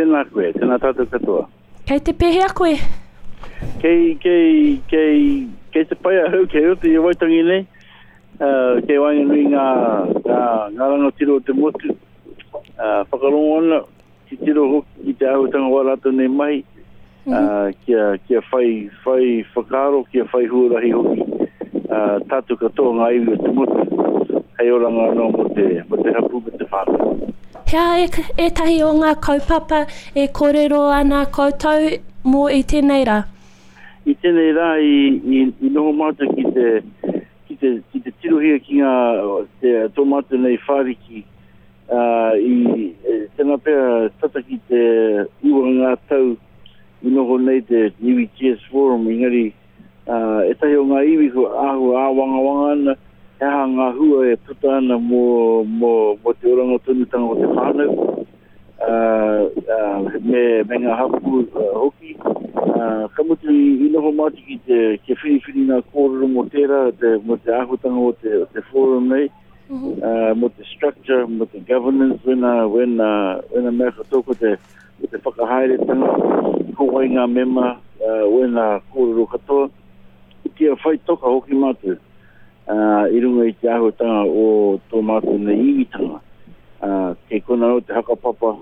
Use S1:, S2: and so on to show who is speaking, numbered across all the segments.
S1: Tēnā koe, tēnā tātou katoa.
S2: Kei te pēhea koe?
S1: Kei, kei, kei, kei te pai ahau, kei roto i a Waitangi nei, uh, kei waenganui ngā, ngā, ngā rangatira o te motu, uh, whakarongo ana, titiro hoki ki te āhuatanga o ā rātou nei mahi, mm -hmm. kia, kia whai, whai whakaaro, kia whai huarahi hoki uh, tātou katoa ngā iwi o te motu, hei oranga anō mō te, mō te hapū me te whānau.
S2: He aha ētahi o ngā kaupapa e kōrero ana koutou mō i tēnei rā?
S1: I tēnei rā i, i, i noho mātou ki te, ki te, ki te tirohia ki ngā, te, tō mātou nei whāriki ā, i, tēnā pea tata ki te iwa ngā tau i noho nei te iwi TS Forum, engari ā, ētahi o ngā iwi kua āhua āwangawanga ana, he aha ngā hua e puta ana mō, mō, mō te oranga tonutanga o te whānau, ā, ā, me, me ngā hapū hoki. Ā, ka mutu i, i noho mātou ki te, kia whiriwhiri ngā kōrero mō tērā, te, mō te āhuatanga o te, o te forum nei, mō te structure, mō te governance, wēnā, wēnā, wēnā mea katoa ko te, ko te whakahaeretanga, ko wai ngā mema, wēnā kōrero katoa, kia whai toka hoki mātou i runga i te āhuatanga o tō mātou nei iwitanga. Kei konā anō te hakapapa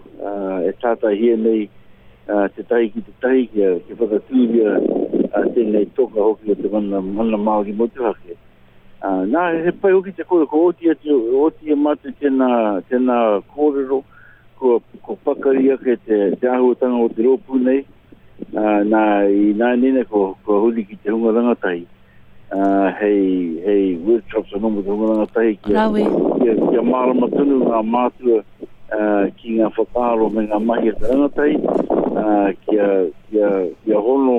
S1: e tātaihia nei tētahi ki tētahi kia, kia whakatūria tēnei toka hoki o te mana, mana Māori motuhake. Ā, nā, he pai hoki te kōrero, kua oti atu, oti e mātou tēnā, tēnā kōrero, kua, kua pakari ake te, te āhuatanga o te rōpū nei, ā, nā, i nāianei nei, kua, kua huri ki te hunga rangatahi, ā, hei, hei workshops anō mō te hunga rangatahi kia,
S2: Rawe.
S1: kia, kia mārama tonu ngā mātua, ā, ki ngā whakaaro me ngā mahi a te rangatahi, ā, kia, kia, kia hono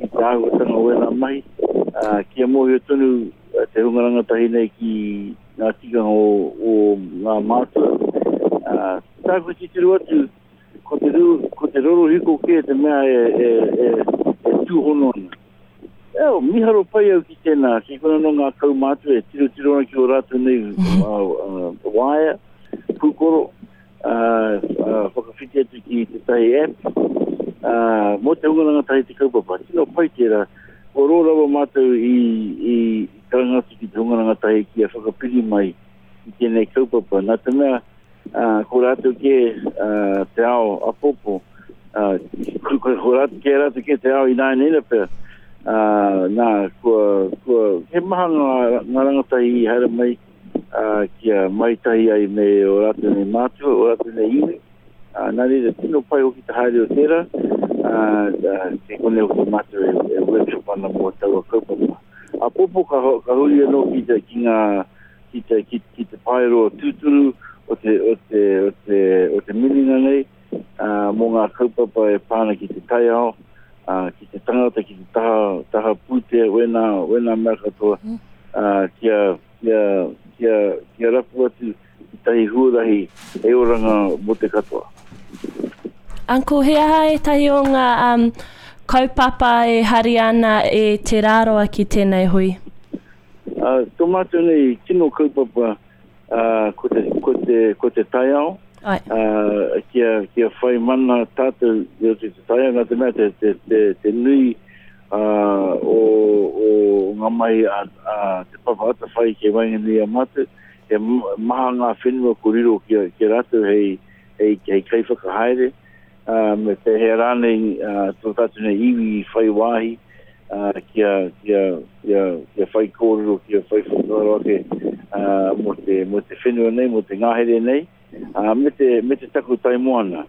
S1: ki te āhuatanga o ēnā mahi, ā, kia mōhio tonu te hunga rangatahi nei ki ngā tikanga o, o ngā mātua. Ā, tāku titiro atu, ko te, rū, ko te rorohiko kē te mea e, e, e, e tūhono ana. E, oh, miharo pai au ki tēnā, ki kona no ngā kaumātua e tirotiro ana ki o rātou nei uh, uh, waea, pūkoro, ā, whakawhiti atu ki tētahi app, ā, mō te hunga rangatahi te kaupapa. Tino pai tērā. Kua roa rawa mātou i, i karanga atu ki te hunga rangatahi kia whakapiri mai i tēnei kaupapa. Nā te mea, ā, ko rātou kē ā, te ao apopo, ā, ko, ko, ko rātou kē, rātou kē te ao ināianei na pea. Ā, nā, kua, kua, he maha ngā, ngā rangatahi i haere mai, ā, kia mahi tahi ai me ō rātou nei mātua, ō rātou nei iwi. Ā, nā reira, tino pai hoki te haere o tērā, ā, kei konei hoki mātou e, e workshop ana mō taua kaupapa. Āpōpō ka, ka huri anō ki te, ki ngā, ki te, ki, ki te paeroa tūturu o te, o te, o te, o te minenga nei, ā, mō ngā kaupapa e pā ana ki te taiao, ā, ki te tangata, ki te taha, taha pūtea, wēnā, wēnā mea katoa, ā, kia, kia, kia, kia rapu atu tētahi huarahi hei oranga mō te katoa.
S2: Uncle, he aha ētahi o ngā um, kaupapa e hari ana e Te Rāroa ki tēnei hui?
S1: Uh, tō mātou nei tino kaupapa uh, ko, te, ko, te, ko te taiao,
S2: Ai.
S1: Uh, kia, kia whai mana tātou i roto i te taiao, nā te mea te, te, te, te nui ā, o, o ngā mahi a, a Te Papa Atawhai kei waenganui i a mātou, he maha ngā whenua ko riro ki a, ki a rātou hei, hei, hei kaiwhakahaere, ā, me pēhea rānei ā, tō tātou nei iwi i whai wāhi ā, kia, kia, kia, kia whai kōrero, kia whai whakaaro ake ā, mō te, mō te whenua nei, mō te ngahere nei. Ā, me te, me te takutai moana.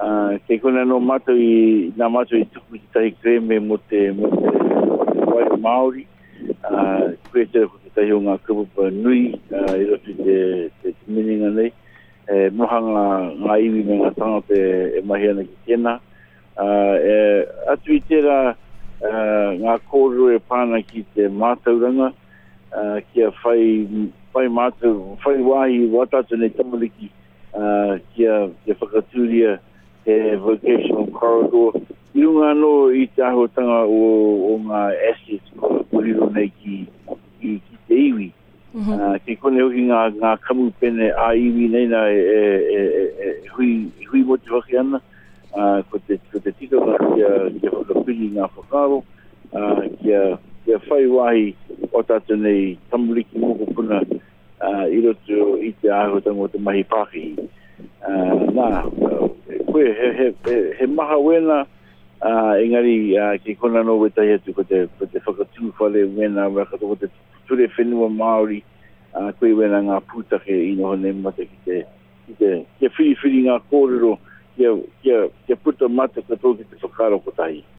S1: Ā, kei konei anō mātou i, nā mātou i tuku tētahi kerēme mō te, mō te, mō te wai Māori, ā, koia tērā ko tētahi o ngā kaupapa nui, ā, i roto i te, te, te minenga nei. E maha ngā, ngā iwi me ngā tangata e, e mahi ana ki tēnā. Ā, e, atu i tērā, ā, ngā kōrero e pā ana ki te mātauranga, ā, kia whai, whai mātou, whai wāhi wā tātou nei tamariki, ā, kia, kia whakatūria he vocational corridor i runga anō i te āhuatanga o, o ngā assets kua, kua riro nei ki, ki, ki te iwi. Mm -hmm. Uh, kei konei hoki ngā, ngā kamupene ā-iwi nei nā e, e, e, e, e hui, e hui motuhake ana. ngā whakaaro, ā, kia, kia whai wāhi o tātou nei tamariki mokopuna ā, i roto i te āhuatanga o te mahi pākihi. Ā, nā, koe, he, he, he, he maha wēnā, ā, engari ā, ki kona anō wētahi atu ko te, ko te whakatū whare wēnā, wē katoa, ko te ture whenua Māori, ā, koe wēnā ngā pūtake i noho nei mātou ki te, ki te, kia whiriwhiri ngā kōrero, kia, kia, kia puta mātou katoa ki te whakaaro kotahi.